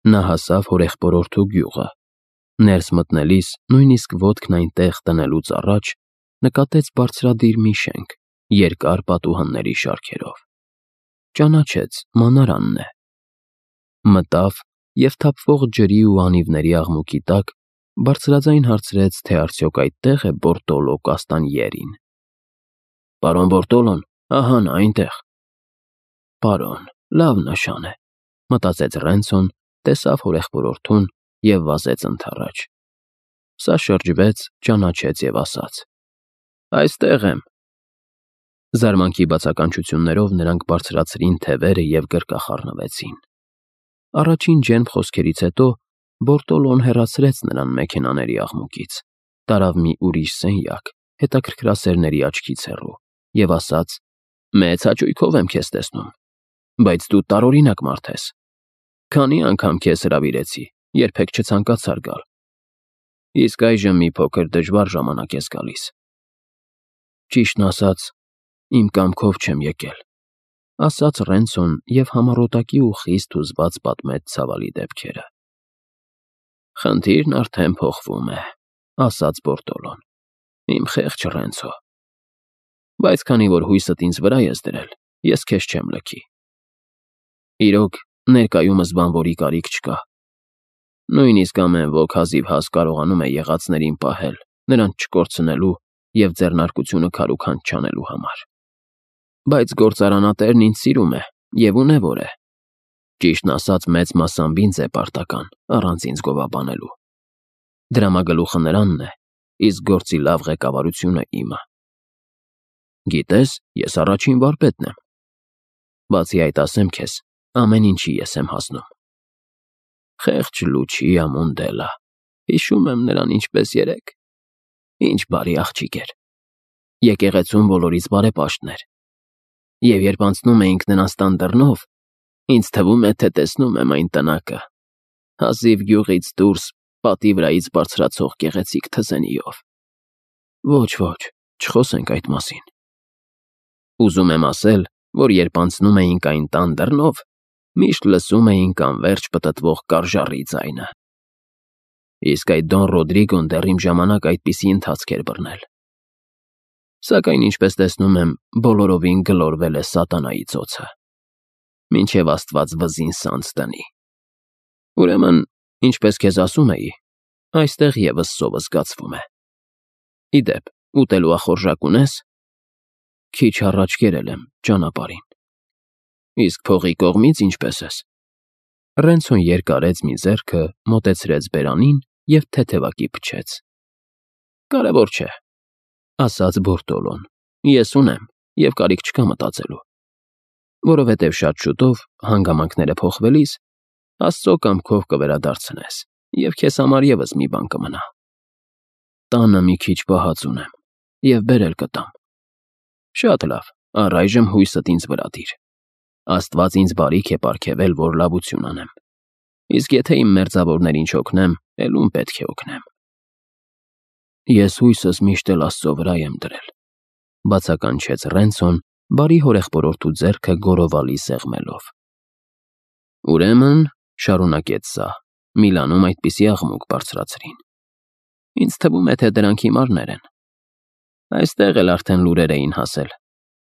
Նա հասավ հորեղբորորդու գյուղը։ Ներս մտնելիս, նույնիսկ ոտքն այնտեղ տնելուց առաջ, նկատեց բարձրադիր մի շենք, երկար պատուհանների շարքերով։ Ճանաչեց, մանարանն է։ Մտավ և թափվող ջրի ու անիվների աղմուկի տակ բարձրաձայն հարցրեց, թե արդյոք այդտեղ է Բորտոլո Կաստանիերին։ «Պարոն Բորտոլոն, ահա նա այնտեղ»։ «Պարոն, լավ նշան է», մտածեց Ռենցոն, տեսավ հորեղբորորդուն և վազեց ընդառաջ։ Սա շրջվեց, ճանաչեց և ասաց. «Այստեղ եմ»։ Զարմանքի բացականչություններով նրանք բարձրացրին թևերը և գրկախառնվեցին։ Առաջին ջերմ խոսքերից հետո Բորտոլոն հեռացրեց նրան մեքենաների աղմուկից, տարավ մի ուրիշ սենյակ, հետաքրքրասերների աչքից հեռու, և ասաց. «Մեծ հաճույքով եմ քեզ տեսնում, բայց դու տարօրինակ մարդ ես։ Քանի անգամ քեզ հրավիրեցի, երբեք չցանկացար գալ։ Իսկ այժմ մի փոքր դժվար ժամանակ ես գալիս»։ «Ճիշտն ասած, իմ կամքով չեմ եկել», ասաց Ռենցոն և համառոտակի ու խիստ հուզված պատմեց ցավալի դեպքերը։ «Խնդիրն արդեն փոխվում է», ասաց Բորտոլոն։ «Իմ խեղճ Ռենցո։ Բայց քանի որ հույսդ ինձ վրա ես դրել, ես քեզ չեմ լքի։ Իրոք, ներկայումս բանվորի կարիք չկա։ Նույնիսկ ամեն ոք հազիվհազ կարողանում է եղածներին պահել, նրանց չկորցնելու և ձեռնարկությունը քարուքանջ չանելու համար։ Բայց գործարանատերն ինձ սիրում է և ունևոր է։ Ճիշտն ասած, մեծ մասամբ ինձ է պարտական, առանց ինձ գովաբանելու։ Դրամագլուխը նրանն է, իսկ գործի լավ ղեկավարությունը իմը։ Գիտես, ես առաջին վարպետն եմ։ Բացի այդ, ասեմ քեզ, ամեն ինչի ես եմ հասնում։ Խեղճ Լուչիա Մոնդելա, հիշում եմ նրան ինչպես երեկ։ Ինչ բարի աղջիկ էր։ Եկեղեցում բոլորից բարեպաշտն էր։ Եվ երբ անցնում էինք նրանց տան դռնով, ինձ թվում է, թե տեսնում եմ այն տնակը, հազիվ գյուղից դուրս պատի վրայից բարձրացող գեղեցիկ թզենիով։ Ոչ, չխոսենք այդ մասին։ Ուզում եմ ասել, որ երբ անցնում էինք այն տան դռնով, միշտ լսում էինք անվերջ պտտվող կարժառի ձայնը։ Իսկ այդ Դոն Ռոդրիգոն դեռ իմ ժամանակ այդպիսի ընթացք էր բռնել։ Սակայն, ինչպես տեսնում եմ, բոլորովին գլորվել է սատանայի ծոցը։ Մինչև Աստված վզին սանձ տնի։ Ուրեմն, ինչպես քեզ ասում էի, այստեղ ևս սովը զգացվում է։ Ի դեպ, ուտելու ախորժակ ունե՞ս։ Քիչ առաջ կերել եմ ճանապարհին։ Իսկ փողի կողմից ինչպես ես։ Ռենցոն երկարեց մի ձեռքը, մոտեցրեց բերանին և թեթևակի փչեց։ Կարևոր չէ, ասաց Բորտոլոն։ Ես ունեմ և կարիք չկա մտածելու։ Որովհետև շատ շուտով, հանգամանքները փոխվելիս, Աստծո կամքով կվերադարձնես, և քեզ համար ևս մի բան կմնա։ Տանը մի քիչ պահած ունեմ և բերել կտամ։ Շատ լավ, առայժմ հույսդ ինձ վրա դիր։ Աստված ինձ բարիք է պարգևել, որ լավություն անեմ։ Իսկ եթե իմ մերձավորներին չօգնեմ, էլ ում պետք է օգնեմ։ Ես հույսս միշտ էլ Աստծո վրա եմ դրել, բացականչեց Ռենցոն, բարի հորեղբորորդու ձեռքը գորովալի սեղմելով։ Ուրեմն, շարունակեց սա, Միլանում այդպիսի աղմուկ բարձրացրին։ Ինձ թվում է, թե դրանք հիմարներ են։ Այստեղ էլ արդեն լուրեր էին հասել,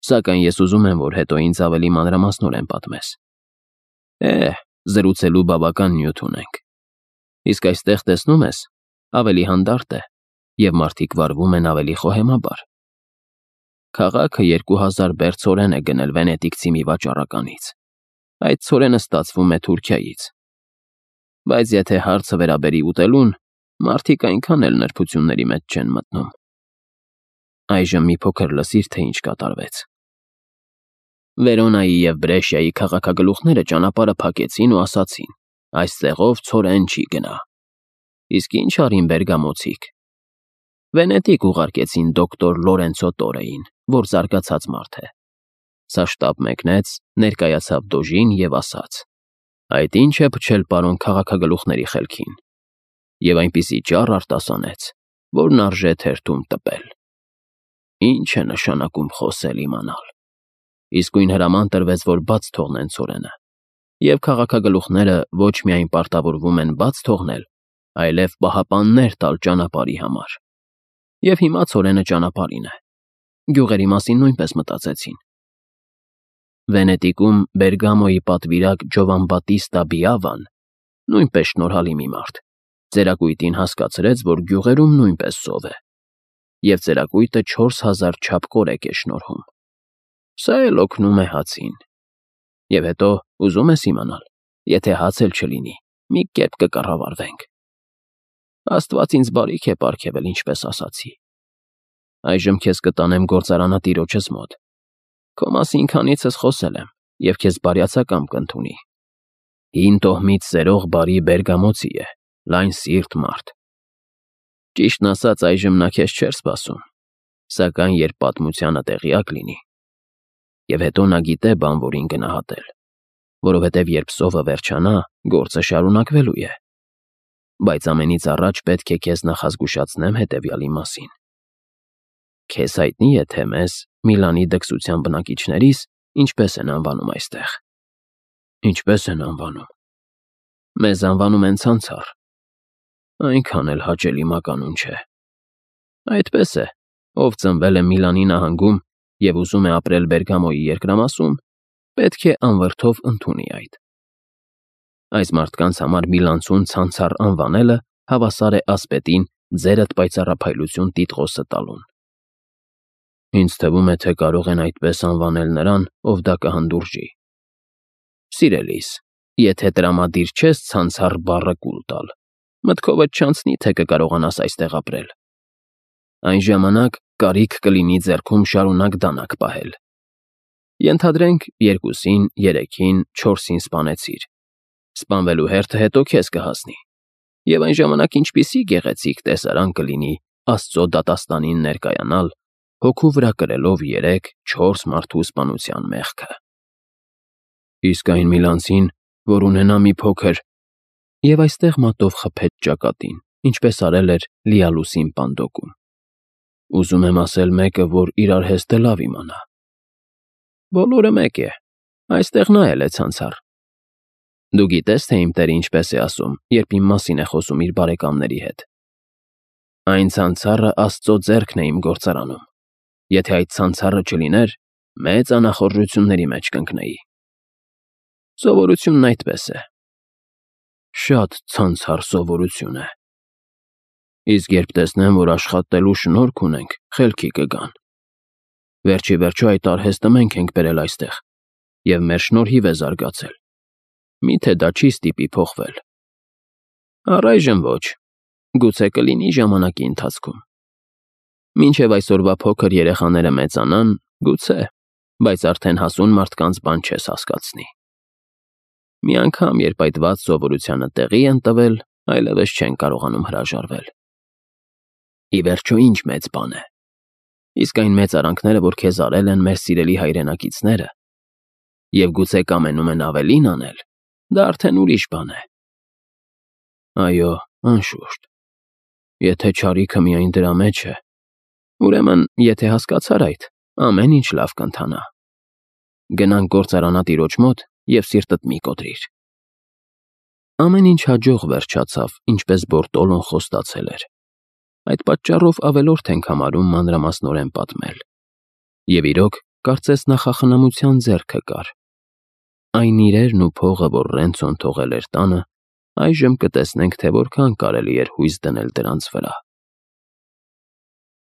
սակայն ես ուզում եմ, որ հետո ինձ ավելի մանրամասնորեն պատմես։ Զրուցելու բավական նյութ ունենք։ Իսկ այստեղ տեսնում ես, ավելի հանդարտ է, և մարդիկ վարվում են ավելի խոհեմաբար։ Քաղաքը 2000 բերդ ցորեն է գնել վենետիկցի մի վաճառականից։ Այդ ցորենը ստացվում է Թուրքիայից։ Բայց եթե հարցը վերաբերի ուտելուն, մարդիկ այնքան էլ նրբությունների մեջ չեն մտնում։ Այժմ մի փոքր լսիր, թե ինչ կատարվեց։ Վերոնայի և Բրեշիայի քաղաքագլուխները ճանապարհը փակեցին ու ասացին. այստեղով ցորեն չի գնա։ Իսկ ինչ արին Բերգամոցիկ։ Վենետիկ ուղարկեցին դոկտոր Լորենցո Տորեին, որ զարգացած մարդ է։ Սա շտապ մեկնեց, ներկայացավ դոժին և ասաց. այդ ինչ է փչել պարոն քաղաքագլուխների խելքին։ Եվ այնպիսի ճառ արտասանեց, որն արժե թերթում տպել։ Ինչ է նշանակում խոսել իմանալ։ Իսկույն հրաման տրվեց, որ բաց թողնեն ցորենը։ և քաղաքագլուխները ոչ միայն պարտավորվում են բաց թողնել, այլև պահապաններ տալ ճանապարհի համար։ Եվ հիմա ցորենը ճանապարհին է։ Գյուղերի մասին նույնպես մտածեցին։ Վենետիկում Բերգամոյի պատվիրակ Ջովանբատիստա Բիավան, նույնպես շնորհալի մի մարդ, ծերակույտին հասկացրեց, որ գյուղերում նույնպես սով է, և ծերակույտը 4000 չափ կորեկ է շնորհում։ Սա էլ օգնում է հացին։ Եվ հետո ուզում ես իմանալ, եթե հաց էլ չլինի, մի կերպ կկառավարվենք։ Աստված ինձ բարիք է պարգևել, ինչպես ասացի։ Այժմ քեզ կտանեմ գործարանատիրոջս մոտ։ Քո մասին քանիցս խոսել եմ, և քեզ բարյացակամ կընդունի։ Հին տոհմից սերող բարի բերգամոցի է, լայն սիրտ մարդ։ Ճիշտն ասած, այժմ նա քեզ չէր սպասում, սակայն երբ պատմությանը տեղյակ լինի, և հետո նա գիտե բան որին գնահատել, որովհետև երբ սովը վերջանա, գործը շարունակվելու է։ Բայց ամենից առաջ պետք է քեզ նախազգուշացնեմ հետևյալի մասին։ Քեզ հայտնի է, թե մեզ, Միլանի դքսության բնակիչներիս, ինչպես են անվանում այստեղ։ Ինչպես են անվանում։ Մեզ անվանում են ցանցառ։ Այնքան էլ հաճելի մականուն չէ։ Այդպես է, ով ծնվել է Միլանի նահանգում և ուզում է ապրել Բերգամոյի երկրամասում, պետք է անվրդով ընդունի այդ։ Այս մարդկանց համար միլանցուն ցանցառ անվանելը հավասար է ասպետին ձերդ պայծառափայլություն տիտղոսը տալուն։ Ինձ թվում է, թե կարող են այդպես անվանել նրան, ով դա կհանդուրժի։ Սիրելիս, եթե տրամադիր չես ցանցառ բառը կուլ տալ, մտքովդ չանցնի, թե կկարողանաս այստեղ ապրել։ Այն ժամանակ կարիք կլինի ձեռքում շարունակ դանակ պահել։ Ենթադրենք 2-ին, 3-ին, 4-ին սպանեցիր։ Սպանվելու հերթը հետո քեզ կհասնի։ Եվ այն ժամանակ ինչպիսի գեղեցիկ տեսարան կլինի Աստծո դատաստանին ներկայանալ, հոգու վրա կրելով 3-4 մարդու սպանության մեղքը։ Իսկ այն միլանցին, որ ունենա մի փոքր, և այստեղ մատով խփեց ճակատին, ինչպես արել էր Լիալուսին Պանդոկում։ Ուզում եմ ասել մեկը, որ իր արհեստը լավ իմանա։ Բոլորը մեկ է, այստեղ նա էլ է ցանցառ։ Դու գիտես, թե իմ տերը ինչպես է ասում, երբ իմ մասին է խոսում իր բարեկամների հետ։ Այն ցանցառը Աստծո ձեռքն է իմ գործարանում։ Եթե այդ ցանցառը չլիներ, մեծ անախորժությունների մեջ կընկնեի։ Սովորությունն այդպես է։ Շատ ցանցառ սովորություն է։ Իսկ երբ տեսնեմ, որ աշխատելու շնորհք ունենք, խելքի կգան։ Վերջի վերջո այդ արհեստը մենք ենք բերել այստեղ, և մեր շնորհիվ է զարգացել։ Միթե դա չի ստիպի փոխվել։ Առայժմ ոչ, գուցե կլինի ժամանակի ընթացքում։ Մինչև այսօրվա փոքր երեխաները մեծանան, գուցե, բայց արդեն հասուն մարդկանց բան չես հասկացնի։ Մի անգամ, երբ այդ վատ սովորությանը տեղի են տվել, այլևս չեն կարողանում հրաժարվել։ Ի վերջո ինչ մեծ բան է։ Իսկ այն մեծ արանքները, որ քեզ արել են մեր սիրելի հայրենակիցները, և գուցե կամենում են ավելին անել, դա արդեն ուրիշ բան է։ Այո, անշուշտ։ Եթե չարիքը միայն դրա մեջ է, ուրեմն, եթե հասկացար այդ, ամեն ինչ լավ կընթանա։ Գնանք գործարանատիրոջ մոտ և սիրտդ մի կոտրիր։ Ամեն ինչ հաջող վերջացավ, ինչպես Բորտոլոն խոստացել էր։ Այդ պատճառով ավելորդ ենք համարում մանրամասնորեն պատմել։ Եվ իրոք, կարծես նախախնամության ձեռքը կար։ Այն իրերն ու փողը, որ Ռենցոն թողել էր տանը, այժմ կտեսնենք, թե որքան կարելի էր հույս դնել դրանց վրա։